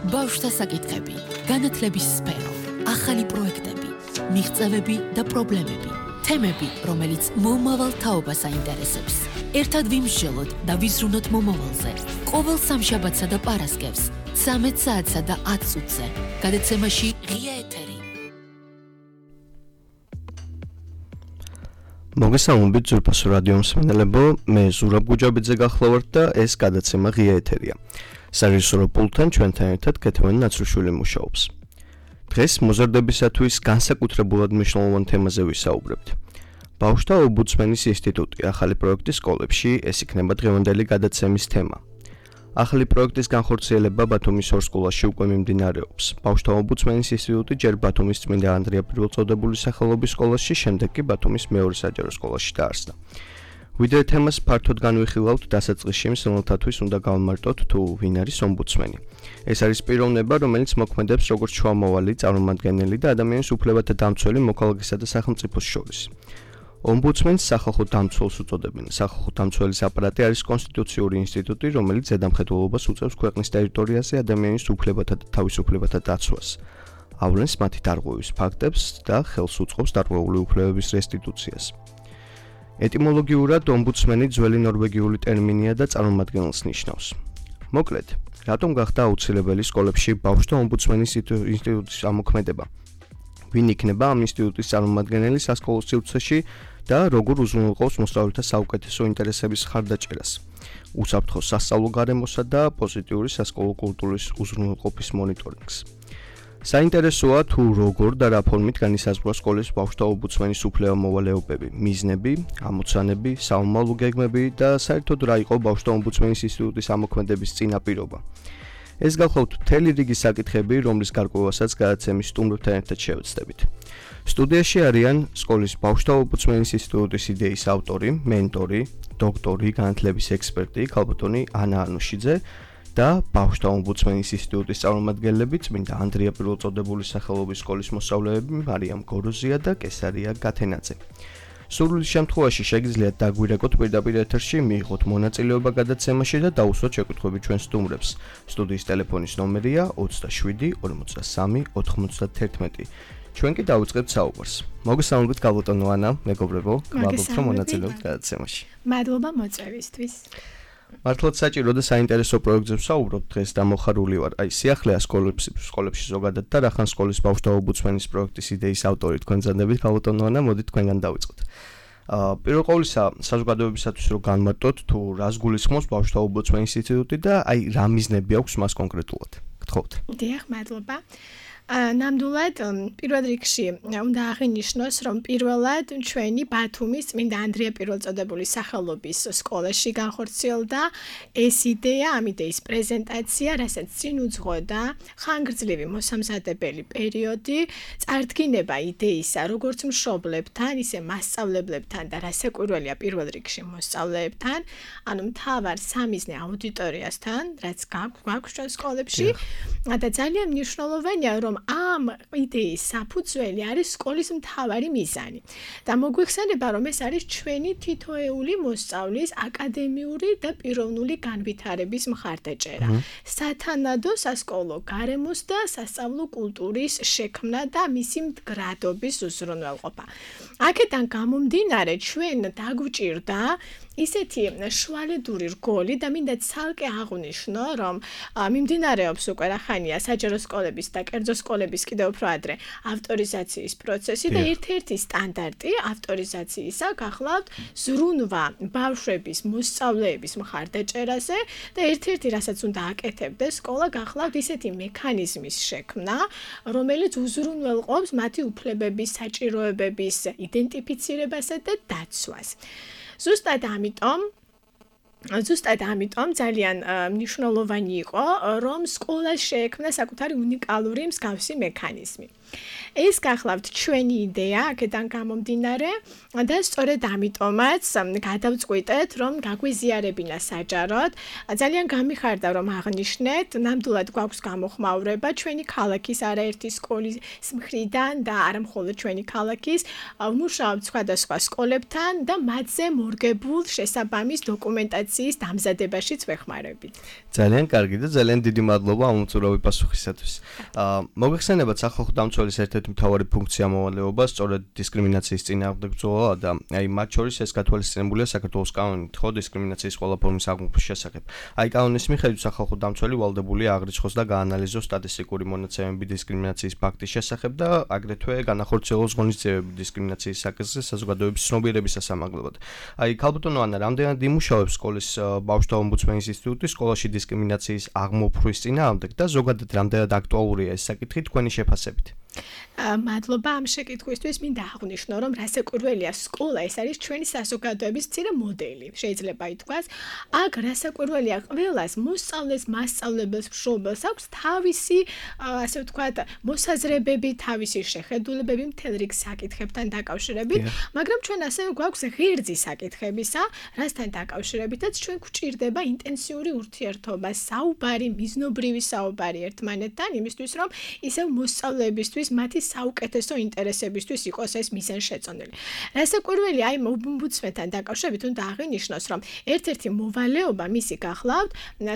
ბავშვთა საკითხები, განათლების სფერო, ახალი პროექტები, მიღწევები და პრობლემები, თემები, რომელიც მომავალ თაობას აინტერესებს. ერთად ვიმსჯელოთ და ვიზრუნოთ მომავალზე. ყოველ სამშაბათსა და პარასკევს, 13 საათსა და 10 წუთზე. გადაცემაში ღია ეთერი. მოგესალმებით ძვირფასო რადიო მსმენელებო, მე ზურაბ გუჯაბიძე გახლავართ და ეს გადაცემა ღია ეთერია. სარეჟისორო პულტთან ჩვენთან ერთად კეთევანი ნაცრუშვილი მუშაობს. დღეს მოზარდებისათვის განსაკუთრებულად მნიშვნელოვან თემაზე ვისაუბრებთ. ბავშვთა ომბუდსმენის ინსტიტუტი ახალი პროექტის სკოლებში, ეს იქნება დღევანდელი გადაცემის თემა. ახალი პროექტის განხორციელება ბათუმის ორ სკოლაში უკვე მიმდინარეობს. ბავშვთა ომბუდსმენის ინსტიტუტი ჯერ ბათუმის წმინდა ანდრია პირველწოდებულის სახელობის სკოლაში, შემდეგ კი ბათუმის მეორე საჯარო სკოლაში დაარსდა. ვიდრე თემას ფართოდ განვიხილავთ, დასაწყისში მსმენელთათვის უნდა გავმარტოთ თუ ვინ არის ომბუდსმენი. ეს არის პიროვნება, რომელიც მოქმედებს როგორც შუამავალი, წარმომადგენელი და ადამიანის უფლებათა დამცველი მოქალაქესა და სახელმწიფოს შორის. ომბუდსმენს სახალხო დამცველს უწოდებენ. სახალხო დამცველის აპარატი არის კონსტიტუციური ინსტიტუტი, რომელიც ზედამხედველობას უწევს ქვეყნის ტერიტორიაზე ადამიანის უფლებათა და თავისუფლებათა დაცვას. ავლენს მათი დარღვევის ფაქტებს და ხელს უწყობს დარღვეული უფლებების რესტიტუციას. ეტიმოლოგიურად ომბუდსმენი ძველი ნორვეგიული ტერმინია და წარმომადგენელს ნიშნავს. მოკლედ, რატომ გახდა აუცილებელი სკოლებში ბავშვთა ომბუდსმენის ინსტიტუტის ამოქმედება? ვინ იქნება ამ ინსტიტუტის წარმომადგენელი სასკოლო სივრცეში და როგორ უზრუნველყოფს მოსწავლეთა საუკეთესო ინტერესების ხარდაჭერას? უსაფრთხო სასწავლო გარემოსა და პოზიტიური სასკოლო კულტურის უზრუნველყოფის მონიტორინგს. საინტერესოა თუ როგორ და რა ფორმით განისაზღვრა სკოლის ბავშვთა ომბუდსმენის უფლება-მოვალეობები, მიზნები, ამოცანები, საომალო გეგმები და საერთოდ რა იყო ბავშვთა ომბუდსმენის ინსტიტუტის ამოქმედების წინაპირობა. ეს გახლავთ მთელი რიგი საკითხები, რომლის გარკვევასაც გადაცემის სტუმრებთან ერთად შევეცდებით. სტუდიაში არიან სკოლის ბავშვთა ომბუდსმენის ინსტიტუტის იდეის ავტორი, მენტორი, დოქტორი, განათლების ექსპერტი, ქალბატონი ანა ანუშიძე და ბავშვთა ომბუდსმენის ინსტიტუტის წარმომადგენლები, წმინდა ანდრია პირველწოდებულის სახელობის სკოლის მოსწავლეები მარიამ გოროზია და კესარია გათენაძე. სურვილის შემთხვევაში შეგიძლიათ დაგვირეკოთ პირდაპირ ეთერში, მიიღოთ მონაწილეობა გადაცემაში და დაუსვათ შეკითხვები ჩვენ სტუმრებს. სტუდიის ტელეფონის ნომერია 27 43 91. ჩვენ კი დავიწყებთ საუბარს. მოგესალმებით ქალბატონო ანა, მეგობრებო, გვალბობთ რომ მონაწილეობთ გადაცემაში. მადლობა მოწვევისთვის. მართლაც საჭირო და საინტერესო პროექტზე ვსაუბრობ დღეს და მოხარული ვარ. აი სიახლეა სკოლებში ზოგადად და რახან სკოლის ბავშვთა ომბუდსმენის პროექტის იდეის ავტორი თქვენ ზანდებით ქალბატონო ანა, მოდით თქვენგან დავიწყოთ. პირველ ყოვლისა საზოგადოებისათვის რომ განმარტოთ თუ რას გულისხმობს ბავშვთა ომბუდსმენის ინსტიტუტი და აი რა მიზნები აქვს მას კონკრეტულად. გთხოვთ. დიახ, მადლობა. ნამდვილად პირველ რიგში უნდა აღინიშნოს, რომ პირველად ჩვენი ბათუმის წმინდა ანდრია პირველწოდებულის სახელობის სკოლაში განხორციელდა ეს იდეა, ამ იდეის პრეზენტაცია, რასაც წინ უძღოდა ხანგრძლივი მოსამზადებელი პერიოდი, წარდგინება იდეისა, როგორც მშობლებთან, ისე მასწავლებლებთან და რასაკვირველია პირველ რიგში მოსწავლეებთან, ანუ მთავარ სამიზნე აუდიტორიასთან, რაც გვაქვს ჩვენ სკოლებში და ძალიან მნიშვნელოვანია, რომ ამ იდეის საფუძველი არის სკოლის მთავარი მიზანი და მოგვიხსენება, რომ ეს არის ჩვენი თითოეული მოსწავლის აკადემიური და პიროვნული განვითარების მხარდაჭერა, სათანადო სასკოლო გარემოს და სასწავლო კულტურის შექმნა და მისი მდგრადობის უზრუნველყოფა. აქედან გამომდინარე, ჩვენ დაგვჭირდა ისეთი შუალედური რგოლი და მინდა ცალკე აღვნიშნო, რომ მიმდინარეობს უკვე რახანია საჯარო სკოლების და კერძო სკოლების კიდევ უფრო ადრე ავტორიზაციის პროცესი და ერთ-ერთი სტანდარტი ავტორიზაციისა გახლავთ ზრუნვა ბავშვების მოსწავლეების მხარდაჭერაზე და ერთ-ერთი რასაც უნდა აკეთებდეს სკოლა გახლავთ ისეთი მექანიზმის შექმნა, რომელიც უზრუნველყოფს მათი უფლებების, საჭიროებების იდენტიფიცირებასა და დაცვას. ზუსტად ამიტომ ძალიან მნიშვნელოვანი იყო, რომ სკოლას შეექმნა საკუთარი უნიკალური მსგავსი მექანიზმი. ეს გახლავთ ჩვენი იდეა, აქედან გამომდინარე და სწორედ ამიტომაც გადავწყვიტეთ, რომ გაგვიზიარებინა საჯაროდ. ძალიან გამიხარდა, რომ აღნიშნეთ, ნამდვილად გვაქვს გამოხმაურება ჩვენი ქალაქის არაერთი სკოლის მხრიდან და არა მხოლოდ ჩვენი ქალაქის, ვმუშაობთ სხვადასხვა სკოლებთან და მათზე მორგებულ შესაბამის დოკუმენტაციას დისკრიმინაციის დამზადებაშიც ვეხმარებით. ძალიან კარგი და ძალიან დიდი მადლობა ამ უწურავი პასუხისათვის. მოგეხსენებათ სახალხო დამცველის ერთ-ერთი მთავარი ფუნქცია მოვალეობა სწორედ დისკრიმინაციის წინააღმდეგ ბრძოლა და აი მათ შორის ეს გათვალისწინებულია საქართველოს კანონით, ხო, დისკრიმინაციის ყველა ფორმის აღმოფხვის შესახებ. აი კანონის მიხედვით სახალხო დამცველი ვალდებულია აღრიცხოს და გაანალიზოს სტატისტიკური მონაცემები დისკრიმინაციის ფაქტის შესახებ და აგრეთვე განახორციელოს ღონისძიებები დისკრიმინაციის საკითხზე საზოგადოების ცნობიერების სასამართლებლად. აი ქალბატონო ანა, რამდენად იმუშავებს სკოლის ბავშვთა ომბუდსმენის ინსტიტუტი სკოლაში დისკრიმინაციის აღმოფხვის წინააღმდეგ და ზოგადად რამდენად აქტუალურია ეს საკითხი თქვენი შეფასებით? მადლობა ამ შეკითხვისთვის. მინდა აღვნიშნო, რომ რასაკვირველია სკოლა ეს არის ჩვენი საზოგადოების მცირე მოდელი. შეიძლება ითქვას, აქ რასაკვირველია ყველას მოსწავლეს, მასწავლებელს, მშობელს აქვს თავისი, ასე ვთქვათ, მოსაზრებები, თავისი შეხედულებები მთელ რიგ საკითხებთან დაკავშირებით, მაგრამ ჩვენ ასევე გვაქვს ღერძი საკითხებისა, რასთან დაკავშირებითაც ჩვენ გვჭირდება ინტენსიური ურთიერთობა, საუბარი, მიზნობრივი საუბარი ერთმანეთთან, იმისთვის რომ ისევ მოსწავლეებისთვის მათი საუკეთესო ინტერესებისთვის იყოს ეს მიზანშეწონილი. რასაკვირველია, აი ომბუდსმენთან დაკავშირებით უნდა აღინიშნოს, რომ ერთ-ერთი მოვალეობა მისი გახლავთ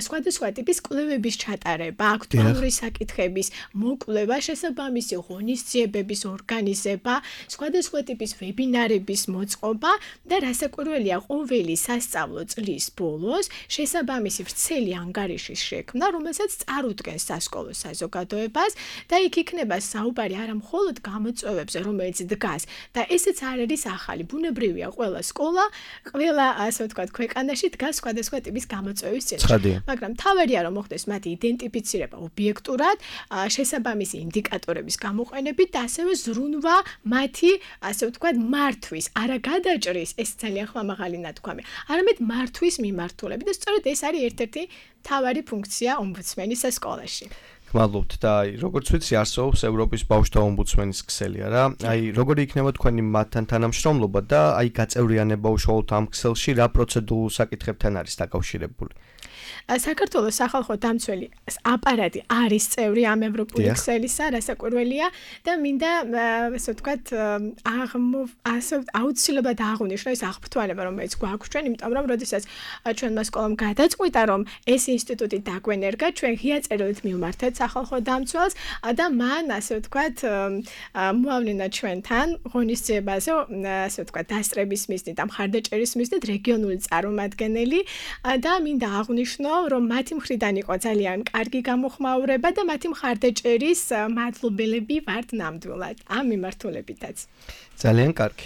სხვადასხვა ტიპის კვლევების ჩატარება, აქტუალური საკითხების მოკვლევა, შესაბამისი ღონისძიებების ორგანიზება, სხვადასხვა ტიპის ვებინარების მოწყობა და რასაკვირველია, ყოველი სასწავლო წლის ბოლოს შესაბამისი ვრცელი ანგარიშის შექმნა, რომელსაც წარუდგენს სასკოლო საზოგადოებას და იქ იქნება საუბარი არა მხოლოდ გამოწვევებზე, რომელიც დგას და ესეც არ არის ახალი. ბუნებრივია, ყველა სკოლა, ყველა ასე ვთქვათ, ქვეყანაში დგას სხვადასხვა ტიპის გამოწვევის წინაშე. მაგრამ თავარია რომ მოხდეს მათი იდენტიფიცირება ობიექტურად, შესაბამისი ინდიკატორების გამოყენებით და ასევე ზრუნვა მათი, ასე ვთქვათ, მართვის, არა გადაჭრის, ეს ძალიან ხმამაღალი ნათქვამი, არამედ მართვის მიმართულებით და სწორედ ეს არის ერთ-ერთი მთავარი ფუნქცია ომბუდსმენის სკოლაში. მადლობთ და აი როგორც ვიცი არსებობს ევროპის ბავშვთა ომბუდსმენის ქსელი რა. აი როგორი იქნება თქვენი მათთან თანამშრომლობა და აი გაწევრიანება უშუალოდ ამ ქსელში რა პროცედურულ საკითხებთან არის დაკავშირებული? საქართველოს სახალხო დამცველი აპარატი არის წევრი ამ ევროპული ქსელისა, რასაკვირველია და მინდა ასე ვთქვათ აუცილებლად აღვნიშნო ეს აღფრთოვანება, რომელიც გვაქვს ჩვენ, იმიტომ რომ როდესაც ჩვენმა სკოლამ გადაწყვიტა, რომ ეს ინსტიტუტი დაგვენერგა, ჩვენ ღია წერილით მივმართეთ სახალხო დამცველს და მან ასე ვთქვათ მოავლინა ჩვენთან ღონისძიებაზე, ასე ვთქვათ დასწრების მიზნით და მხარდაჭერის მიზნით რეგიონული წარმომადგენელი და მინდა აღვნიშნო რომ მათი მხრიდან იყო ძალიან კარგი გამოხმაურება და მათი მხარდაჭერის მადლობელები ვართ ნამდვილად ამ მიმართულებითაც. ძალიან კარგი.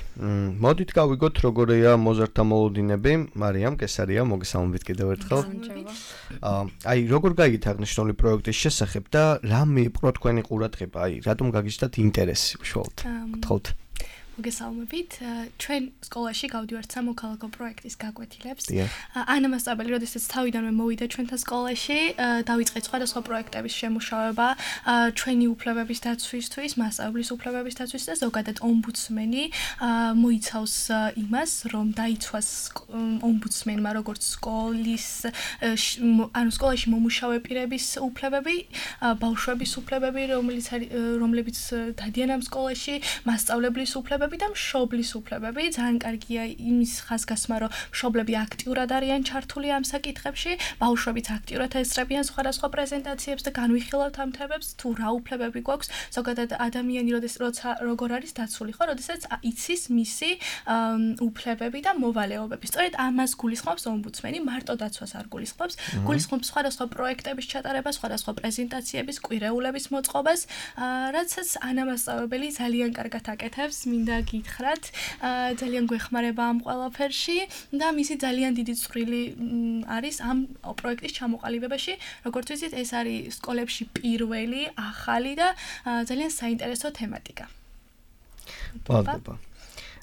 მოდით გავიგოთ როგორია მოზარდთა მოლოდინები. მარიამ კესარია, მოგესალმებით კიდევ ერთხელ. აი როგორ გაიგეთ აღნიშნული პროექტის შესახებ და რა მიიპყრო თქვენი ყურადღება? აი რატომ გაგიჩნდათ ინტერესი უშუალოდ? გთხოვთ. მოგესალმებით. ჩვენ სკოლაში გავდივართ სამოქალაქო პროექტის გაკვეთილებს. ანა მასწავლებელი, როდესაც თავიდანვე მოვიდა ჩვენთან სკოლაში, დავიწყეთ სხვადასხვა პროექტების შემუშავება, ჩვენი უფლებების დაცვისთვის, მასწავლებლის უფლებების დაცვისთვის და ზოგადად ომბუდსმენი მოიცავს იმას, რომ დაიცვას ომბუდსმენმა როგორც სკოლაში მომუშავე პირების უფლებები, ბავშვების უფლებები, რომლებიც დადიან ამ სკოლაში, მასწავლებლის უფლებები და მშობლის უფლებები. ძალიან კარგია იმის ხაზგასმა, რომ მშობლები აქტიურად არიან ჩართული ამ საკითხებში, ბავშვებიც აქტიურად ესწრებიან სხვადასხვა პრეზენტაციებს და განვიხილავთ ამ თემებს, თუ რა უფლებები გვაქვს, ზოგადად ადამიანი როგორ არის დაცული, ხო, როდესაც იცის მისი უფლებები და მოვალეობები. სწორედ ამას გულისხმობს ომბუდსმენი, მარტო დაცვას არ გულისხმობს, გულისხმობს სხვადასხვა პროექტების ჩატარებას, სხვადასხვა პრეზენტაციების, კვირეულების მოწყობას, რაცაც ანა მასწავლებელი ძალიან კარგად აკეთებს. მინდა გითხრათ, ძალიან გვეხმარება ამ ყველაფერში და მისი ძალიან დიდი წვრილი არის ამ პროექტის ჩამოყალიბებაში. როგორც ვიცით, ეს არის სკოლებში პირველი, ახალი და ძალიან საინტერესო თემატიკა. მადლობა.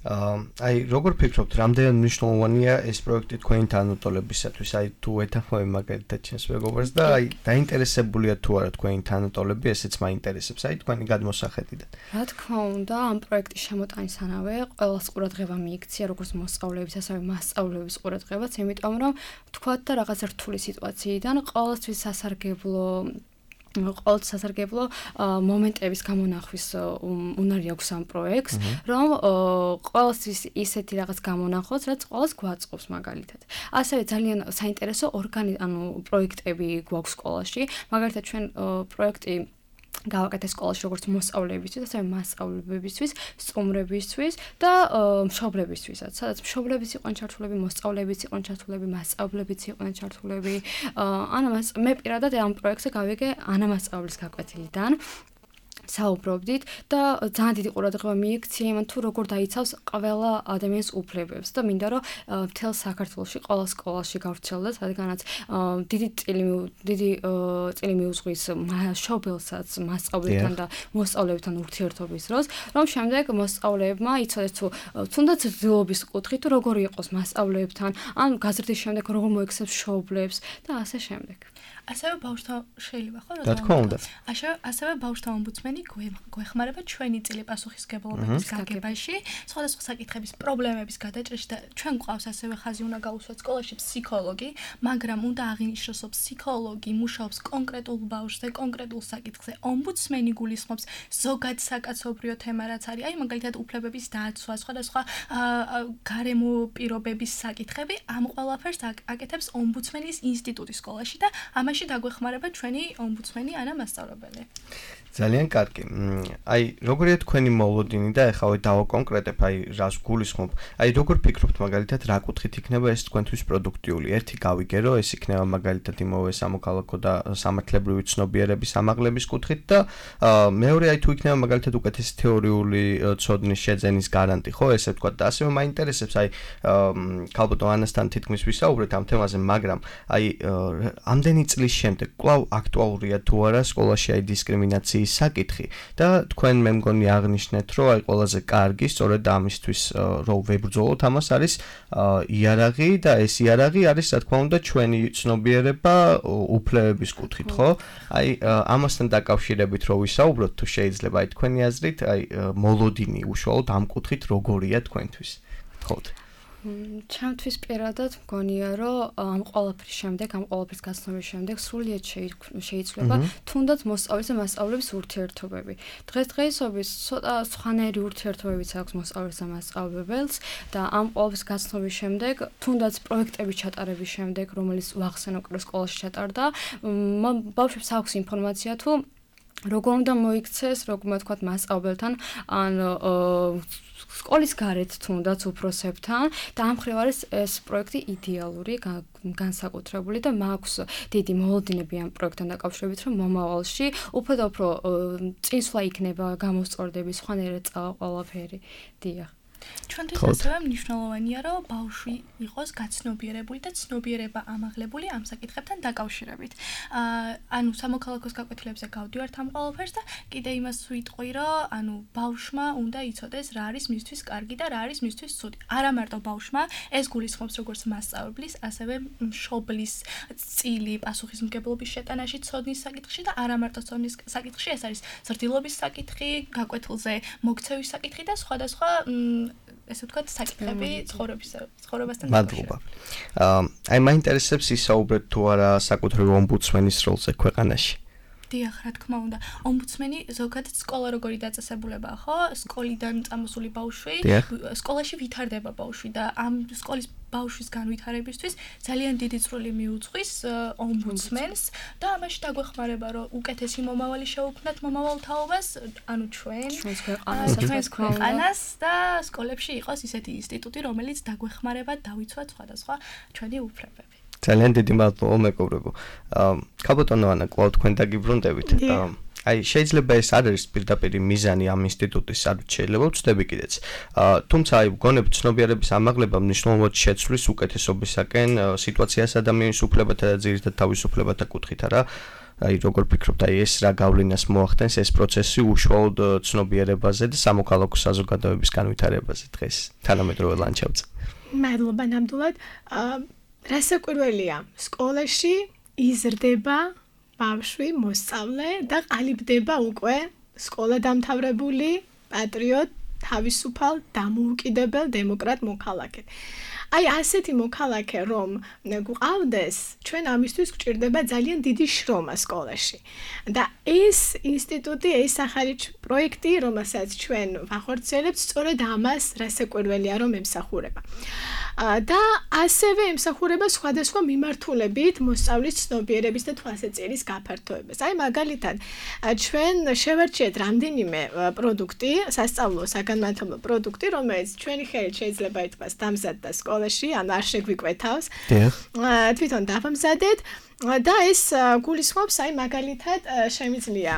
აი როგორ ფიქრობთ, რამდენად მნიშვნელოვანია ეს პროექტი თქვენი თანატოლებისათვის? აი თუ ეთანხმები მაგალითად ჩემს მეგობრს და აი დაინტერესებულია თუ არა თქვენი თანატოლები, ესეც მაინტერესებს, აი თქვენი გადმოსახედიდან. რა თქმა უნდა, ამ პროექტის შემოტანისთანავე ყველას ყურადღება მიიქცია, როგორც მოსწავლეების, ასევე მასწავლებლების ყურადღებაც, იმიტომ რომ თქვათ და რაღაც რთული სიტუაციიდან ყველასთვის სასარგებლო ყოველთვის სასარგებლო მომენტების გამონახვის უნარი აქვს ამ პროექტს, რომ ყოველთვის ისეთი რაღაც გამონახოს, რაც ყოველს გვაწყობს მაგალითად. ასევე ძალიან საინტერესო პროექტები გვაქვს სკოლაში. მაგალითად ჩვენ პროექტი გავაკეთე სკოლაში როგორც მოსწავლეებისთვის, ასევე მასწავლებლებისთვის, სტუმრებისთვის და მშობლებისთვისაც. სადაც მშობლებიც იყვნენ ჩართულები, მოსწავლეებიც იყვნენ ჩართულები, მასწავლებლებიც იყვნენ ჩართულები. მე პირადად ამ პროექტზე გავიგე ანა მასწავლებლის გაკვეთილიდან. საუბრობდით და ძალიან დიდი ყურადღება მიექცია იმან თუ როგორ დაიცავს ყველა ადამიანის უფლებებს და მინდა რომ მთელ საქართველოში ყველა სკოლაში გავრცელდეს, რადგანაც დიდი წილი მიუძღვის მშობელსაც მასწავლებლებთან და მოსწავლეებთან ურთიერთობის დროს, რომ შემდეგ მოსწავლეებმა იცოდეს თუ თუნდაც ძილობის კუთხით თუ როგორი იყოს მასწავლეებთან, ან გაზრდის შემდეგ როგორ მოექცევს მშობლებს და ასე შემდეგ. ასევე ბავშვთა შეიძლება ხო რა? რა თქმა უნდა. ასევე ბავშვთა ომბუდსმენი გვეხმარება ჩვენი წილი პასუხისმგებლობის გაგებაში, სხვადასხვა საკითხების პრობლემების გადაჭრაში და ჩვენ გვყავს ასევე ხაზი უნდა გაუსვათ სკოლაში ფსიქოლოგი, მაგრამ უნდა აღინიშნოს, რომ ფსიქოლოგი მუშაობს კონკრეტულ ბავშვზე, კონკრეტულ საკითხზე. ომბუდსმენი გულისხმობს ზოგად საკაცობრიო თემა რაც არის, აი მაგალითად უფლებების დაცვა, სხვადასხვა გარემო პირობების საკითხები, ამ ყველაფერს აკეთებს ომბუდსმენის ინსტიტუტი სკოლაში და ამაში დაგვეხმარება ჩვენი ომბუდსმენი ანა მასწავლებელი. ძალიან კარგი. აი, როგორია თქვენი მოლოდინი და ეხლა დავაკონკრეტებ, აი, რას გულისხმობ. აი, როგორ ფიქრობთ მაგალითად, რა კუთხით იქნება ეს თქვენთვის პროდუქტიული? ერთი გავიგე, რომ ეს იქნება მაგალითად იმავე სამოქალაქო და სამართლებრივი ცნობიერების ამაღლების კუთხით და მეორე აი თუ იქნება მაგალითად უკეთესი თეორიული ცოდნის შეძენის გარანტი, ხო, ესე ვთქვათ. და ასევე მაინტერესებს, აი, ქალბატონ ანასთან თითქმის ვისაუბრეთ ამ თემაზე, მაგრამ აი, ამდენი წლის შემდეგ კვლავ აქტუალურია თუ არა სკოლაში აი დისკრიმინაციის საკითხი და თქვენ მე მგონი აღნიშნეთ, რომ აი ყველაზე კარგი სწორედ ამისთვის რომ ვებრძოლოთ ამას არის იარაღი და ეს იარაღი არის რა თქმა უნდა ჩვენი ცნობიერება უფლებების კუთხით, ხო? აი ამასთან დაკავშირებით რომ ვისაუბროთ თუ შეიძლება აი თქვენი აზრით აი მოლოდინი უშუალოდ ამ კუთხით როგორია თქვენთვის? გთხოვთ. ჩემთვის პირადად მგონია, რომ ამ ყველაფრის შემდეგ, ამ ყველაფრის გაცნობის შემდეგ სრულიად შეიძლება თუნდაც მოსწავლეს და მასწავლებლების ურთიერთობები. დღესდღეობით ცოტა სხვანაირი ურთიერთობებიც აქვს მოსწავლეს და მასწავლებელს და ამ ყველაფრის გაცნობის შემდეგ, თუნდაც პროექტების ჩატარების შემდეგ, რომელიც ვახსენე უკვე სკოლაში ჩატარდა, ბავშვებს აქვს ინფორმაცია თუ როგორ უნდა მოიქცეს, როგორ თქვათ მასწავლებელთან, ან სკოლის გარეთ თუნდაც უფროსებთან და ამ მხრივ არის ეს პროექტი იდეალური, განსაკუთრებული და მაქვს დიდი მოლოდინები ამ პროექტთან დაკავშირებით, რომ მომავალში უფრო და უფრო წინსვლა იქნება გამოსწორდები, სხვანაირად ყველაფერი. დიახ. ჩვენთვის ასევე მნიშვნელოვანია, რომ ბავშვი იყოს გაცნობიერებული და ცნობიერება ამაღლებული ამ საკითხებთან დაკავშირებით. ანუ სამოქალაქოს გაკვეთილებზე გავდივართ ამ ყველაფერს და კიდე იმას ვიტყვი, რომ ბავშვმა უნდა იცოდეს რა არის მისთვის კარგი და რა არის მისთვის ცუდი. არა მარტო ბავშვმა, ეს გულისხმობს როგორც მასწავლებლის, ასევე მშობლის წილი პასუხისმგებლობის შეტანაში ცოდნის საკითხში და არა მარტო ცოდნის საკითხში, ეს არის ზრდილობის საკითხი, გაკვეთილზე მოგცევის საკითხი და სხვადასხვა ესე ვთქვათ, საკითხები ცხოვრებასთან დაკავშირებით. აი მაინტერესებს ისაუბრეთ თუ არა საკუთრივ ომბუდსმენის როლზე ქვეყანაში. დიახ, რა თქმა უნდა. ომბუდსმენი ზოგადად სკოლა როგორი დაწესებულებაა, ხო? სკოლიდან წამოსული ბავშვი, სკოლაში ვითარდება ბავშვი და ამ სკოლის ბავშვის განვითარებისთვის ძალიან დიდი წვლილი მიუძღვის ომბუდსმენს და ამაში დაგვეხმარება, რომ უკეთესი მომავალი შევქმნათ მომავალ თაობას, ანუ ჩვენს ქვეყანას და სკოლებში იყოს ისეთი ინსტიტუტი, რომელიც დაგვეხმარება დავიცვათ სხვადასხვა ჩვენი უფლებები. ძალიან დიდი მადლობა მეგობრებო. ქალბატონო ანა, კვლავ თქვენ დაგიბრუნდებით. აი შეიძლება ეს არ არის პირდაპირ მიზანი ამ ინსტიტუტის, არ შეიძლება ვწდები კიდეც. თუმცა აი გონებ ცნობიერების ამაღლება მნიშვნელოვნად შეცვლის უკეთესობისაკენ სიტუაციას ადამიანის უფლებათა და ძირითად თავისუფლებათა კუთხით, არა? აი როგორ ფიქრობთ, აი ეს რა გავლენას მოახდენს ეს პროცესი უშუალოდ ცნობიერებაზე და სამოქალაქო საზოგადოების განვითარებაზე დღეს თანამედროვე ლანდშაფტზე? მადლობა ნამდვილად. რასაკვირველია, სკოლაში იზრდება ბავშვი, მოსწავლე და ყალიბდება უკვე სკოლა დამთავრებული, პატრიოტ, თავისუფალ, დამოუკიდებელ დემოკრატ მოქალაქედ. აი ასეთი მოქალაქე რომ გვყავდეს, ჩვენ ამისთვის გვჭირდება ძალიან დიდი შრომა სკოლაში. და ეს ინსტიტუტი, ეს ახალი პროექტი, რომელსაც ჩვენ ვახორციელებთ, სწორედ ამას რასაკვირველია რომ ემსახურება. და ასევე ემსახურება სხვადასხვა მიმართულებით მოსწავლის ცნობიერების და თვალსაჩინოს გაფართოებას. აი მაგალითად, ჩვენ შევარჩიეთ რამდენიმე პროდუქტი, სასწავლო საგანმანათლებლო პროდუქტი, რომელიც ჩვენი ხელით შეიძლება ითქვას დამზადდა სკოლაში, ან არ შეგვიკვეთავს. თვითონ დავამზადეთ. და ეს გულისხმობს აი მაგალითად შემიძლია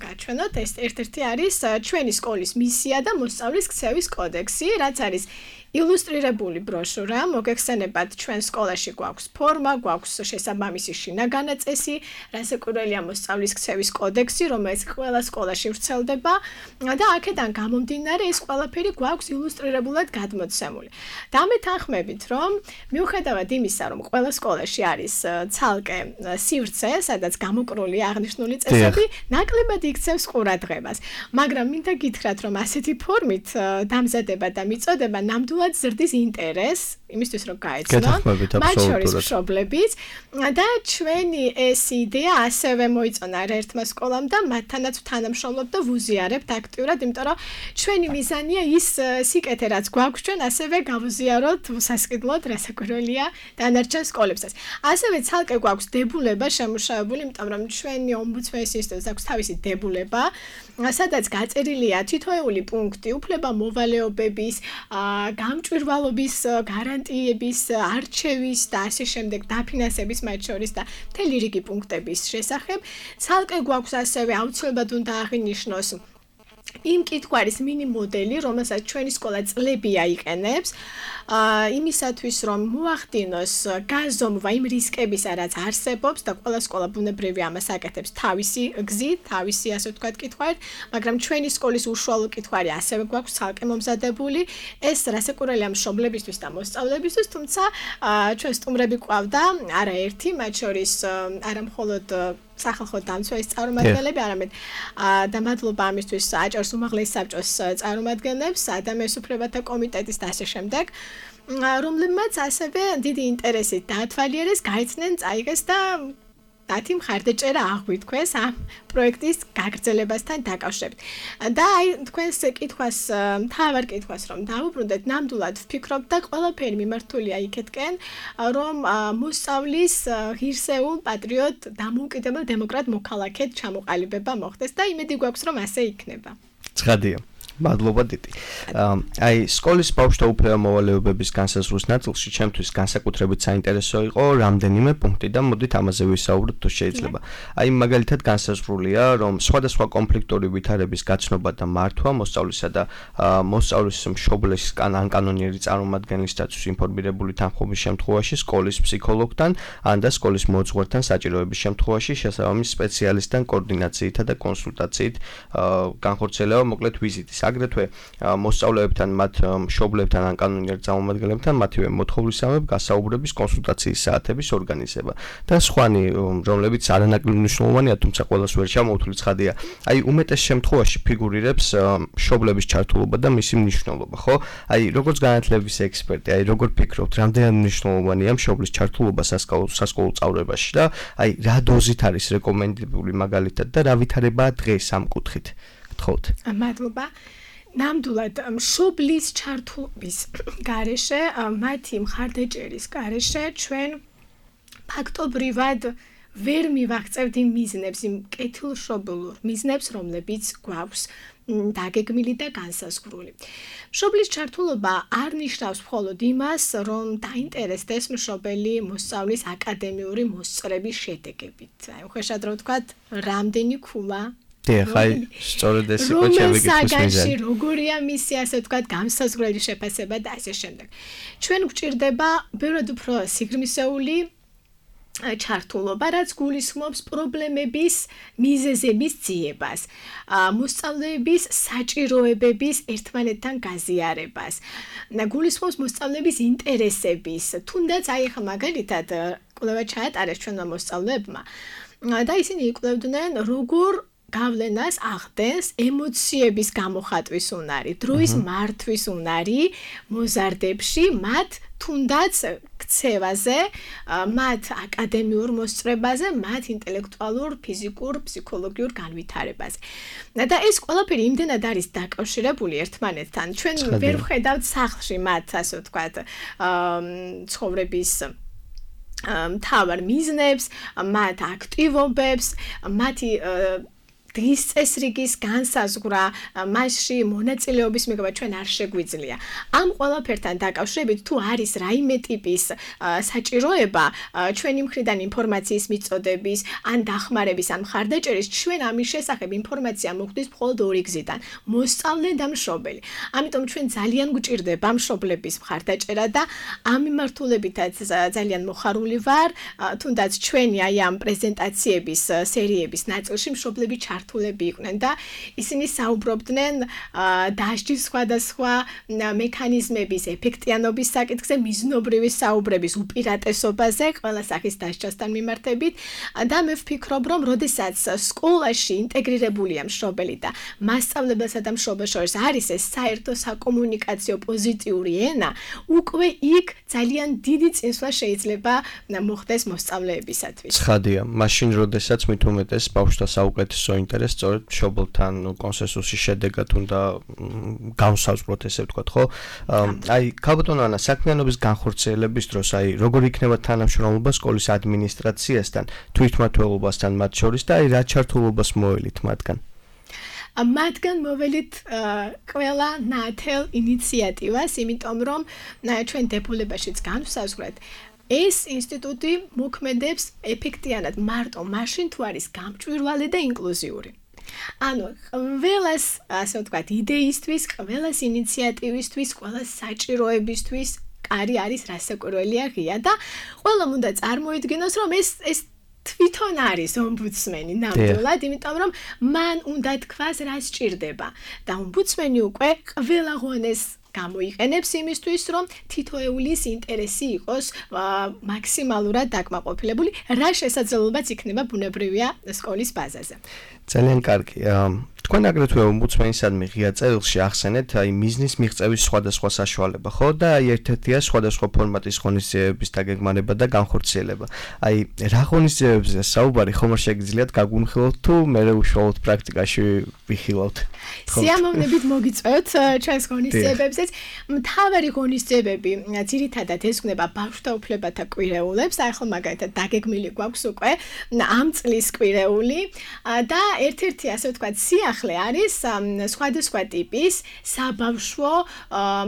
გაჩვენოთ ეს ერთ-ერთი არის ჩვენი სკოლის მისია და მოსწავლის ქცევის კოდექსი, რაც არის ილუსტრირებული ბროშურა, მოგეხსენებათ ჩვენ სკოლაში გვაქვს ფორმა, გვაქვს შესაბამისი შინაგანა წესი, რასაკვირველია მოსწავლის ქცევის კოდექსი, რომელიც ყველა სკოლაში ვრცელდება და აქედან გამომდინარე ეს ყველაფერი გვაქვს ილუსტრირებულად გადმოცემული. დამეთანხმებით, რომ მიუხედავად იმისა, რომ ყველა სკოლაში არის ცალკე სივრცე, სადაც გამოკრული აღნიშნული წესები, ნაკლებად იქცევს ყურადღებას. მაგრამ მინდა გითხრათ, რომ ასეთი ფორმით დამზადება და მიწოდება ნამდვილად ზრდის ინტერესს, იმისთვის რომ გაეცნონ, მათ შორის მშობლებიც და ჩვენი ეს იდეა ასევე მოიწონა ერთ-ერთმა სკოლამ და მათთანაც თანამშრომლობ და ვუზიარებთ აქტიურად, იმიტომ რომ ჩვენი მიზანია ის სიკეთე, რაც გვაქვს ჩვენ, ასევე გავუზიაროთ სასყიდლოდ, რასაკვირველია დანარჩენ სკოლებსაც. ასევე ცალკე გვაქვს დებულება შემუშავებული, იმიტომ რომ ჩვენი ომბუდსმენის ინსტიტუტს აქვს თავისი დებულება, სადაც გაწერილია თითოეული პუნქტი, უფლება მოვალეობების, გამჭვირვალობის გარანტიების, არჩევის და ასე შემდეგ დაფინანსების მათ შორის და მთელი რიგი პუნქტების შესახებ. ცალკე გვაქვს ასევე აუცილებლად უნდა აღინიშნოს იმ კითხვარის მინი მოდელი, რომელსაც ჩვენი სკოლა წლები აიყენებს, იმისათვის რომ მოახდინოს გაზომვა იმ რისკებისა, რაც არსებობს და ყველა სკოლა ბუნებრივია ამას აკეთებს თავისი გზით, თავისი ასე ვთქვათ კითხვარით, მაგრამ ჩვენი სკოლის უშუალო კითხვარი ასევე გვაქვს ცალკე მომზადებული. ეს რასაკვირველია მშობლებისთვის და მოსწავლეებისთვის, თუმცა ჩვენ სტუმრები ყავდა არაერთი, მათ შორის არა მხოლოდ სახალხო დამცველის წარმომადგენლები, არამედ და მადლობა ამისთვის აჭარის უმაღლეს საბჭოს წარმომადგენლებს, ადამიანის უფლებათა კომიტეტის და ასე შემდეგ, რომლებმაც ასევე დიდი ინტერესით დაათვალიერეს, გაიცნენ, წაიღეს და მათი მხარდაჭერა აღვიქვეს ამ პროექტის გაგრძელებასთან დაკავშირებით. და აი თქვენს კითხვას, მთავარ კითხვას რომ დავუბრუნდეთ, ნამდვილად ვფიქრობ და ყველაფერი მიმართულია იქეთკენ, რომ მოსწავლის ღირსეულ პატრიოტ დამოუკიდებელ დემოკრატ მოქალაქედ ჩამოყალიბება მოხდეს და იმედი გვაქვს რომ ასე იქნება. ცხადია. მადლობა დიდი. აი სკოლის ბავშვთა უფლება მოვალეობების განსაზღვრის ნაწილში ჩემთვის განსაკუთრებით საინტერესო იყო რამდენიმე პუნქტი და მოდით ამაზე ვისაუბროთ თუ შეიძლება. აი მაგალითად განსაზღვრულია, რომ სხვადასხვა კონფლიქტური ვითარების გაცნობა და მართვა მოსწავლისა და მოსწავლის მშობლის კანონიერი წარმომადგენლისათვის ინფორმირებული თანხმობის შემთხვევაში სკოლის ფსიქოლოგთან ან და სკოლის მოძღვართან საჭიროების შემთხვევაში შესაბამის სპეციალისტთან კოორდინაციითა და კონსულტაციით განხორციელება მოკლედ ვიზიტის აგრეთვე მოსწავლეებთან, მათ მშობლებთან ან კანონიერ წარმომადგენლებთან მათივე მოთხოვნისამებრ გასაუბრების კონსულტაციის საათების ორგანიზება და სხვანი, რომლებიც არანაკლებ მნიშვნელოვანია, თუმცა ყველას ვერ ჩამოვთვლი ცხადია. აი უმეტეს შემთხვევაში ფიგურირებს მშობლების ჩართულობა და მისი მნიშვნელობა, ხო? აი როგორც განათლების ექსპერტი, აი როგორ ფიქრობთ, რამდენად მნიშვნელოვანია მშობლის ჩართულობა სასკოლო სწავლებაში და აი რა დოზით არის რეკომენდებული მაგალითად და რა ვითარებაა დღეს ამ კუთხით? გთხოვთ. მადლობა. ნამდვილად მშობლის ჩართულობის გარეშე, მათი მხარდაჭერის გარეშე ჩვენ ფაქტობრივად ვერ მივაღწევთ იმ მიზნებს, იმ კეთილშობილურ მიზნებს, რომლებიც გვაქვს დაგეგმილი და განსაზღვრული. მშობლის ჩართულობა არ ნიშნავს მხოლოდ იმას, რომ დაინტერესდეს მშობელი მოსწავლის აკადემიური მოსწრების შედეგებით. აი, უხეშად რომ ვთქვათ, რამდენი ქულა ხაი, სწორედ ეს იყო ჩემი კითხვის მიზანი. როგორია მისი ასე ვთქვათ განსაზღვრელი შეფასება და ასე შემდეგ. ჩვენ გვჭირდება ბევრად უფრო სიგრძნისეული ჩართულობა, რაც გულისხმობს პრობლემების მიზეზების ძიებას, მოსწავლეების საჭიროებების ერთმანეთთან გაზიარებას, გულისხმობს მოსწავლეების ინტერესების, თუნდაც აი ხა მაგალითად კვლევა ჩაატარეს ჩვენმა მოსწავლეებმა და ისინი იკვლევდნენ, როგორ გავლენას ახდენს ემოციების გამოხატვის უნარი, დროის მართვის უნარი მოზარდებში, მათ თუნდაც ქცევაზე, მათ აკადემიურ მოსწრებაზე, მათ ინტელექტუალურ, ფიზიკურ, ფსიქოლოგიურ განვითარებაზე. და ეს ყველაფერი იმდენად არის დაკავშირებული ერთმანეთთან. ჩვენ ვერ ვხედავთ სახლში მათ, ასე ვთქვათ, ცხოვრების მთავარ მიზნებს, მათ აქტივობებს, მათი დღის წესრიგის განსაზღვრა, მასში მონაწილეობის მიღება ჩვენ არ შეგვიძლია. ამ ყველაფერთან დაკავშირებით თუ არის რაიმე ტიპის საჭიროება ჩვენი მხრიდან ინფორმაციის მიწოდების, ან დახმარების, ან მხარდაჭერის, ჩვენ ამის შესახებ ინფორმაცია მოგვდის მხოლოდ ორი გზიდან: მოსწავლე და მშობელი. ამიტომ ჩვენ ძალიან გვჭირდება მშობლების მხარდაჭერა და ამ მიმართულებითაც ძალიან მოხარული ვარ, თუნდაც ჩვენი აი ამ პრეზენტაციების სერიების ნაწილში მშობლები ჩართულები იყვნენ და ისინი საუბრობდნენ დასჯის სხვადასხვა მექანიზმების ეფექტიანობის საკითხზე, მიზნობრივი საუბრების უპირატესობაზე, ყველა სახის დასჯასთან მიმართებით და მე ვფიქრობ, რომ როდესაც სკოლაში ინტეგრირებულია მშობელი და მასწავლებელსა და მშობელს შორის არის ეს საერთო საკომუნიკაციო პოზიტიური ენა, უკვე იქ ძალიან დიდი წინსვლა შეიძლება მოხდეს მოსწავლეებისათვის. ცხადია, მაშინ როდესაც მით უმეტეს ბავშვთა საუკეთესო ინტერესს სწორედ მშობელთან კონსენსუსის შედეგად უნდა განსაზღვროთ, ესე ვთქვათ, ხო? აი, ქალბატონო ანა, საქმიანობის განხორციელების დროს, აი, როგორ იქნება თანამშრომლობა სკოლის ადმინისტრაციასთან, თვითმმართველობასთან მათ შორის და აი, რა ჩართულობას მოელით მათგან? მათგან მოველით ყველა ნათელ ინიციატივას, იმიტომ რომ ჩვენ დებულებაშიც განვსაზღვრეთ, ეს ინსტიტუტი მოქმედებს ეფექტიანად მარტო მაშინ თუ არის გამჭვირვალე და ინკლუზიური. ანუ ყველას, ასე ვთქვათ, იდეისთვის, ყველას ინიციატივისთვის, ყველას საჭიროებისთვის კარი არის რასაკვირველია ღია და ყველამ უნდა წარმოიდგინოს, რომ ეს თვითონ არის ომბუდსმენი ნამდვილად, იმიტომ რომ მან უნდა თქვას რა სჭირდება და ომბუდსმენი უკვე ყველა ღონეს გამოიყენებს იმისთვის, რომ თითოეულის ინტერესი იყოს მაქსიმალურად დაკმაყოფილებული, რა შესაძლებლობაც იქნება ბუნებრივია სკოლის ბაზაზე. ძალიან კარგი. თქვენ აგრეთვე ომბუდსმენისადმი ღია წერილში ახსენეთ აი მიზნის მიღწევის სხვადასხვა საშუალება, ხო? და აი ერთ-ერთია სხვადასხვა ფორმატის ღონისძიებების დაგეგმარება და განხორციელება. აი რა ღონისძიებებზე საუბარი ხომ არ შეგიძლიათ გაგვიმხილოთ თუ მე უშუალოდ პრაქტიკაში ვიხილავთ? სიამოვნებით მოგიწევთ ჩვენს ღონისძიებებზეც. მთავარი ღონისძიებები ძირითადად ესწრება ბავშვთა უფლებათა კვირეულებს, აი ხო მაგალითად დაგეგმილი გვაქვს უკვე ამ წლის კვირეული და ერთ-ერთი ასე ვთქვათ სიახლე არის სხვადასხვა ტიპის საბავშვო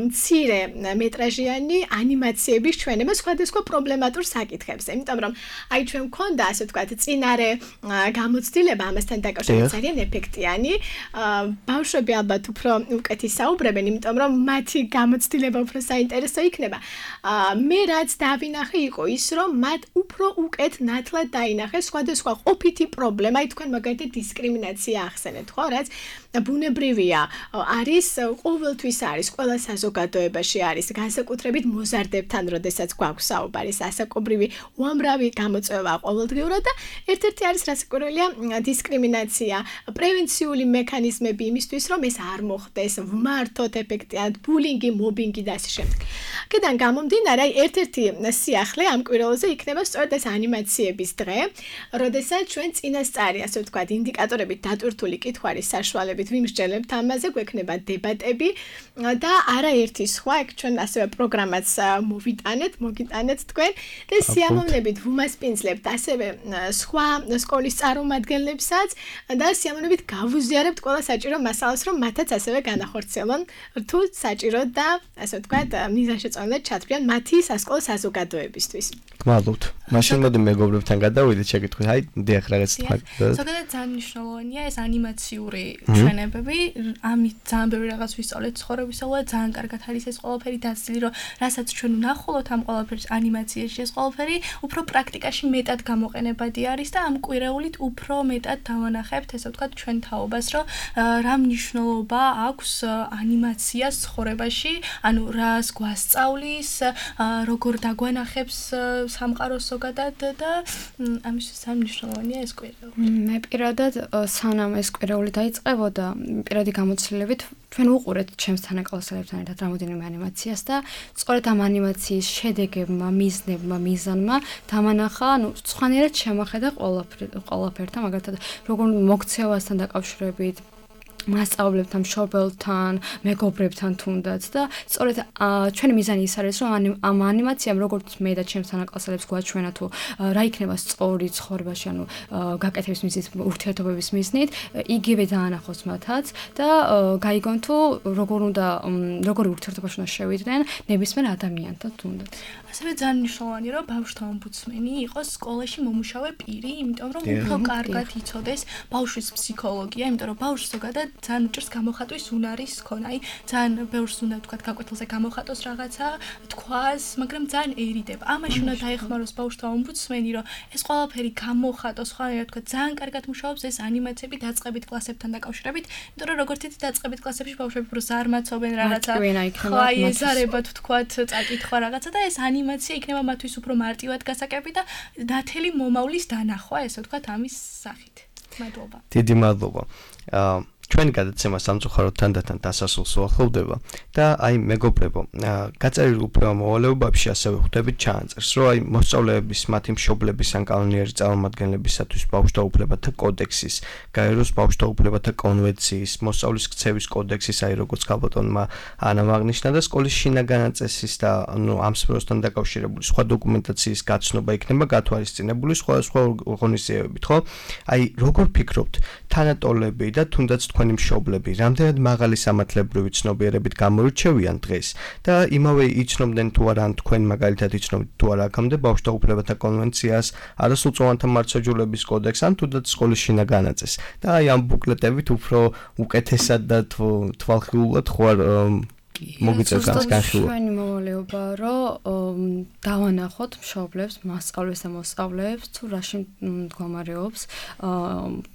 მცირე მეტრაჟიანი ანიმაციების ჩვენება სხვადასხვა პრობლემატურ საკითხებზე. იმიტომ რომ აი ჩვენ მქონდა ასე ვთქვათ წინარე გამოცდილება ამასთან დაკავშირებით ძალიან ეფექტიანი. ბავშვები ალბათ უფრო უკეთ ისაუბრებენ, იმიტომ რომ მათი გამოცდილება უფრო საინტერესო იქნება. მე რაც დავინახე იყო ის, რომ მათ უფრო უკეთ ნათლად დაინახეს სხვადასხვა ყოფითი პრობლემა, აი თქვენ მაგალითად დისკრიმინაცია ახსენეთ, ხო, რაც ბუნებრივია, არის ყოველთვის არის, ყველა საზოგადოებაში არის, განსაკუთრებით მოზარდებთან, როდესაც გვაქვს საუბარი, ასაკობრივი უამრავი გამოწვევა ყოველდღიურად და ერთ-ერთი არის რასაკვირველია დისკრიმინაცია, პრევენციული მექანიზმები იმისთვის, რომ ეს არ მოხდეს, ვმართოთ ეფექტიანად ბულინგი, მობინგი და ასე შემდეგ. აქედან გამომდინარე, ერთ-ერთი სიახლე ამ კვირეულზე იქნება სწორედ ეს ანიმაციების დღე, როდესაც ჩვენ წინასწარი, ასე ვთქვათ, ინდიკატორებით დატვირთული კითხვარის საშუალებით ვიმსჯელებთ ამაზე, გვექნება დებატები და არაერთი სხვა, ეგ ჩვენ ასევე პროგრამაც მოგიტანეთ თქვენ და სიამოვნებით ვუმასპინძლებთ ასევე სხვა სკოლის წარმომადგენლებსაც და სიამოვნებით გავუზიარებთ ყველა საჭირო მასალას, რომ მათაც ასევე განახორციელონ თუ საჭირო და ასე ვთქვათ, მიზანშეწონილად ჩათვლიან მათი სასკოლო საზოგადოებისთვის. გმადლობთ. მაშინ მოდი მეგობრებთან გადავიდეთ, შეკითხვით. აი, დიახ, რაღაც თქვა. ზოგადად ძალიან მნიშვნელოვანია ეს ანიმაციური ჩვენებები. ამით ძალიან ბევრი რაღაც ვისწავლეთ ცხოვრებისაულად, ძალიან კარგად არის ეს ყველაფერი დაცილი, რომ რასაც ჩვენ ვნახულოთ ამ ყველაფერს ანიმაციაში, ეს ყველაფერი უფრო პრაქტიკაში მეტად გამოყენებადი არის და ამ კვირეულით უფრო მეტად დავანახებთ, ესე ვთქვათ, ჩვენ თაობას, რომ რა მნიშვნელობა აქვს ანიმაციას ცხოვრებაში, ანუ რას გვასწავლის, როგორ დაგვანახებს სამყაროს ზოგადად და ამისთვის სამნიშნელოვანია ეს კვირეული. მე პირადად სანამ ეს კვირეული დაიწყებოდა, პირადი გამოცდილებით ჩვენ უყურეთ ჩემს თანაკლასელებთან ერთად რამოდენიმე ანიმაციას და სწორედ ამ ანიმაციის შედეგებმა, მიზნებმა, მიზანმა დამანახა, სხვანაირად შემოხედა ყველაფერთან, მაგალითად, როგორ მოქცევასთან დაკავშირებით მასწავლებლებთან, მშობელთან, მეგობრებთან თუნდაც და სწორედ ჩვენი მიზანი ის არის, რომ ამ ანიმაციამ როგორც მე და ჩემს თანაკლასელებს გვაჩვენა თუ რა იქნება სწორი ცხოვრებაში, ანუ გაკეთების მიზნით, ურთიერთობების მიზნით, იგივე დაანახოს მათაც და გაიგონ თუ როგორი ურთიერთობაში უნდა შევიდნენ ნებისმიერ ადამიანთან თუნდაც. ასევე ძალიან მნიშვნელოვანია, რომ ბავშვთა ომბუდსმენი იყოს სკოლაში მომუშავე პირი, იმიტომ რომ უფრო კარგად იცოდეს ბავშვის ფსიქოლოგია, იმიტომ რომ ბავშვს ზოგადად ძალიან უჭირს გამოხატვის უნარის ქონა, აი ძალიან ბევრს უნდა თქვა გაკვეთილზე გამოხატოს რაღაცა, თქვას, მაგრამ ძალიან ერიდება. ამაში უნდა დაეხმაროს ბავშვთა ომბუდსმენი, რომ ეს ყველაფერი გამოხატოს, ხანერად თქვა, ძალიან კარგად მუშაობს ეს ანიმაციები დაწყებით კლასებთან დაკავშირებით, იმიტომ რომ როგორც იცით დაწყებით კლასებში ბავშვები უფრო ზარმაცობენ რაღაცა, ხა ეზარებათ თქვათ წაკითხვა რაღაცა და ეს ანიმაცია იქნება მათთვის უფრო მარტივად გასაკები და ნათელი მომავლის დანახვა, ესე ვთქვათ, ამის სახით. მადლობა. დიდი მადლობა. ჩვენი გადაცემა სამწუხაროდ თანდათან დასასრულს უახლოვდება და აი მეგობრებო, გაწერილ უფლება მოვალეობებში ასევე ხვდებით ჩაანწერს, რომ აი მოსწავლეების, მათი მშობლების ან კანონიერი წარმომადგენლებისათვის ბავშვთა უფლებათა კოდექსის, გაეროს ბავშვთა უფლებათა კონვენციის, მოსწავლის ქცევის კოდექსის, აი როგორც გაბატონმა ანამ აღნიშნა და სკოლის შინაგანი წესის და ამ სფეროსთან დაკავშირებული სხვა დოკუმენტაციის გაცნობა იქნება გათვალისწინებული სხვადასხვა ღონისძიებებით, ხო? აი როგორ ფიქრობთ, თანატოლები და თუნდაც თქვენი მშობლები რამდენად მაღალი სამართლებრივი ცნობიერებით გამორჩევიან დღეს და იმავე იცნობდნენ თუ არა ან თქვენ მაგალითად იცნობთ თუ არა აქამდე ბავშვთა უფლებათა კონვენციას, არასრულწლოვანთა მართლმსაჯულების კოდექსს ან თუნდაც სკოლის შინაგანი წესს და აი ამ ბუკლეტებით უფრო უკეთესად და თვალხილულად ხوار მოგიწევს განხილვა. ჩვენი მოვალეობა რომ დავანახოთ მშობლებს, მასწავლებლებს და მოსწავლეებს თუ რაში მდგომარეობს,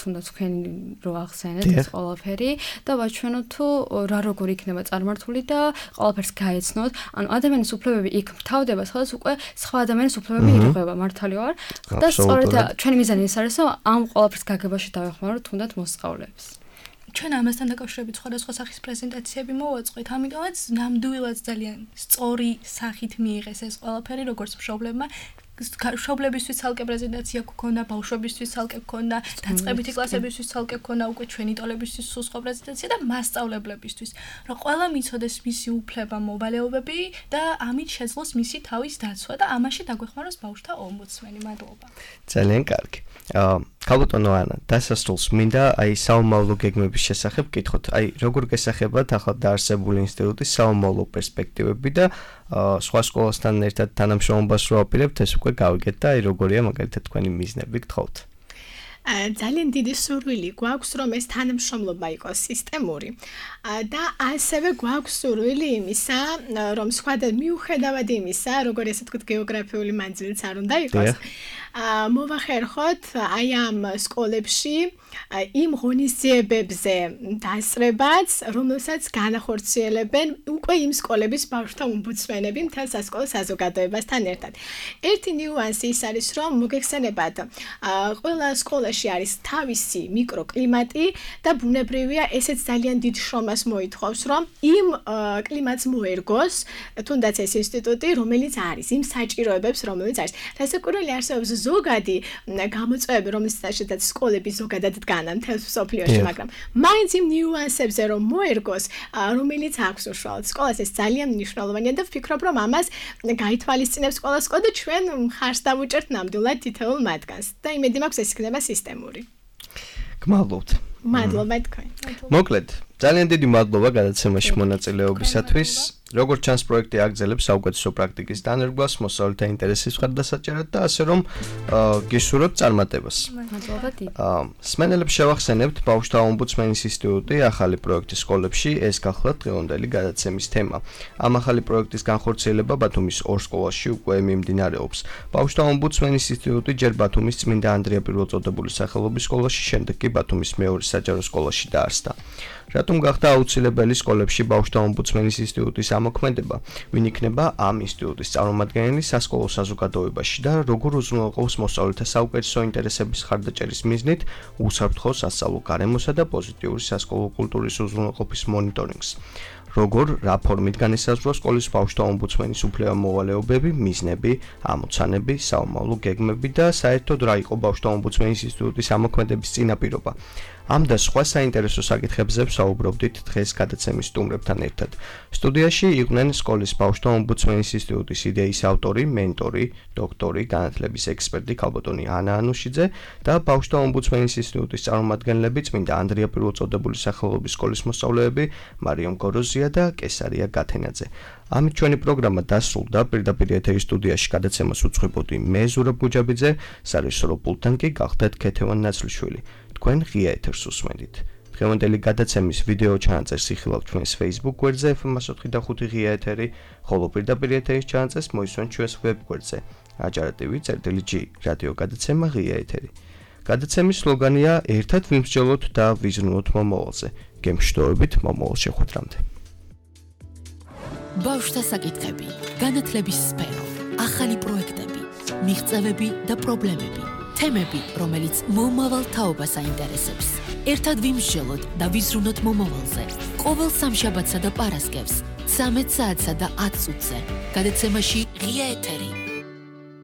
თუნდაც თქვენი რო ახსენეთ ეს ყველაფერი და ვაჩვენოთ თუ რა როგორ იქნება წარმართული და ყველაფერს გაეცნოთ. ანუ ადამიანის უფლებები იქ მთავრდება, სადაც უკვე სხვა ადამიანის უფლებები ირღვევა, მართალი ვარ. და სწორედ ჩვენი მიზანი ის არის, რომ ამ ყველაფერს გაგებაში დავეხმაროთ თუნდაც მოსწავლეებს. ჩვენ ამასთან დაკავშირებით სხვადასხვა სახის პრეზენტაციები მოვაწყოთ, ამიტომაც ნამდვილად ძალიან სწორი სახით მიიღეს ეს ყველაფერი, როგორც მშობლებმა. მშობლებისთვის ცალკე პრეზენტაცია გქონდა, ბავშვებისთვის ცალკე გქონდა, დაწყებითი კლასებისთვის ცალკე გქონდა, უკვე ჩვენი ტოლებისთვის სხვა პრეზენტაცია და მასწავლებლებისთვის, რომ ყველა მიცოდეს მისი უფლება, მოვალეობები და ამით შეძლოს მისი თავის დაცვა და ამაში დაგვეხმაროს ბავშვთა ომბუდსმენი. მადლობა. ძალიან კარგი. გაბატონო ანა, დასასრულს მინდა აი საომავლო გეგმების შესახებ გითხოთ. აი როგორ გესახებათ ახლა დაარსებული ინსტიტუტის საომავლო პერსპექტივები და სხვა სკოლასთან ერთად თანამშრომლობას რო აპირებთ, ეს უკვე გავიგეთ და აი როგორია მაგალითად თქვენი მიზნები გთხოვთ. ძალიან დიდი სურვილი გვაქვს, რომ ეს თანამშრომლობა იყოს სისტემური და ასევე გვაქვს სურვილი იმისა, რომ სხვადასხვა მიუხედავად იმისა, როგორი ასე ვთქვათ, გეოგრაფიული მანძილიც არ უნდა იყოს. მოვახერხოთ აი ამ სკოლებში იმ ღონისძიებებზე დასწრებაც, რომელსაც განახორციელებენ უკვე იმ სკოლების ბავშვთა ომბუდსმენები მთელ სასკოლო საზოგადოებასთან ერთად. ერთი ნიუანსი ის არის, რომ მოგეხსენებათ, ყველა სკოლაში არის თავისი მიკროკლიმატი და ბუნებრივია ესეც ძალიან დიდ შრომას მოითხოვს, რომ იმ კლიმატს მოერგოს თუნდაც ეს ინსტიტუტი, რომელიც არის, იმ საჭიროებებს, რომელიც არის. რასაკვირველი არსებობს ზოგადი გამოწვევები, რომელსაც სკოლები ზოგადად დგანან მთელ მსოფლიოში, მაგრამ მაინც იმ ნიუანსებზე რომ მოერგოს, რომელიც აქვს უშუალოდ სკოლას, ეს ძალიან მნიშვნელოვანია და ვფიქრობ, რომ ამას გაითვალისწინებს ყველა სკოლა და ჩვენ ხარს დავუჭერთ ნამდვილად თითოეულ მათგანს და იმედი მაქვს ეს იქნება სისტემური. გმადლობთ. მადლობა თქვენ. მოკლედ, ძალიან დიდი მადლობა გადაცემაში მონაწილეობისათვის. როგორც ჩანს, პროექტი აგრძელებს საუკეთესო პრაქტიკის დანერგვას, მოსწავლეთა ინტერესის მხარდასაჭერად და ასე რომ გისურვებთ წარმატებას. მადლობა დიდი. მსმენელებს შევახსენებთ, ბავშვთა ომბუდსმენის ინსტიტუტი ახალი პროექტი სკოლებში, ეს გახლავთ დღევანდელი გადაცემის თემა. ამ ახალი პროექტის განხორციელება ბათუმის ორ სკოლაში უკვე მიმდინარეობს. ბავშვთა ომბუდსმენის ინსტიტუტი ჯერ ბათუმის წმინდა ანდრია პირველწოდებული სახელობის სკოლაში, შემდეგ კი ბათუმის მეორე საჯარო სკოლაში დაარსდა. რატო რატომ გახდა აუცილებელი სკოლებში ბავშვთა ომბუდსმენის ინსტიტუტის ამოქმედება? ვინ იქნება ამ ინსტიტუტის წარმომადგენელი სასკოლო საზოგადოებაში და როგორ უზრუნველყოფს მოსწავლეთა საუკეთესო ინტერესების ხარდაჭერის მიზნით უსაფრთხო სასწავლო გარემოსა და პოზიტიური სასკოლო კულტურის უზრუნველყოფის მონიტორინგს? როგორ რა ფორმით განისაზღვრა სკოლის ბავშვთა ომბუდსმენის უფლება-მოვალეობები, მიზნები, ამოცანები, საომავლო გეგმები და საერთოდ რა იყო ბავშვთა ომბუდსმენის ინსტიტუტის ამოქმედების წინაპირობა? ამ და სხვა საინტერესო საკითხებზე ვსაუბრობდით დღეს გადაცემის სტუმრებთან ერთად. სტუდიაში იყვნენ სკოლის ბავშვთა ომბუდსმენის ინსტიტუტის იდეის ავტორი, მენტორი, დოქტორი, განათლების ექსპერტი ქალბატონი ანა ანუშიძე და ბავშვთა ომბუდსმენის ინსტიტუტის წარმომადგენლები წმინდა ანდრია პირველწოდებული სახელობის სკოლის მოსწავლეები მარიამ გოროზია და კესარია გათენაძე. ამით ჩვენი პროგრამა დასრულდა. პირდაპირ ეთერის სტუდიაში გადაცემას უძღვებოდი მე ზურაბ გუჯაბიძე, სარეჟისორო პულტთან კი გახდათ ქეთევან ნაცლიშვილი. თქვენ ღია ეთერს უსმენთ. დღევანდელი გადაცემის ვიდეო ჩანაწერს იხილავთ ჩვენს Facebook გვერდზე FM104.5 ღია ეთერი, ხოლო პირდაპირ ეთერის ჩანაწერს მოისმენთ ჩვენს ვებ გვერდზე ajartv.g რადიო გადაცემა ღია ეთერი. გადაცემის სლოგანია ერთად ვიმსჯელოთ და ვიზრუნოთ მომავალზე. გემშვიდობებით მომავალ შეხვედრამდე. ბავშვთა საკითხები, განათლების სფერო, ახალი პროექტები, მიღწევები და პრობლემები. თემები, რომელიც მომავალ თაობას აინტერესებს. ერთად ვიმსჯელოთ და ვიზრუნოთ მომავალზე. ყოველ სამშაბათსა და პარასკევს 13 საათსა და 10 წუთზე. გადაცემაში ღია ეთერი.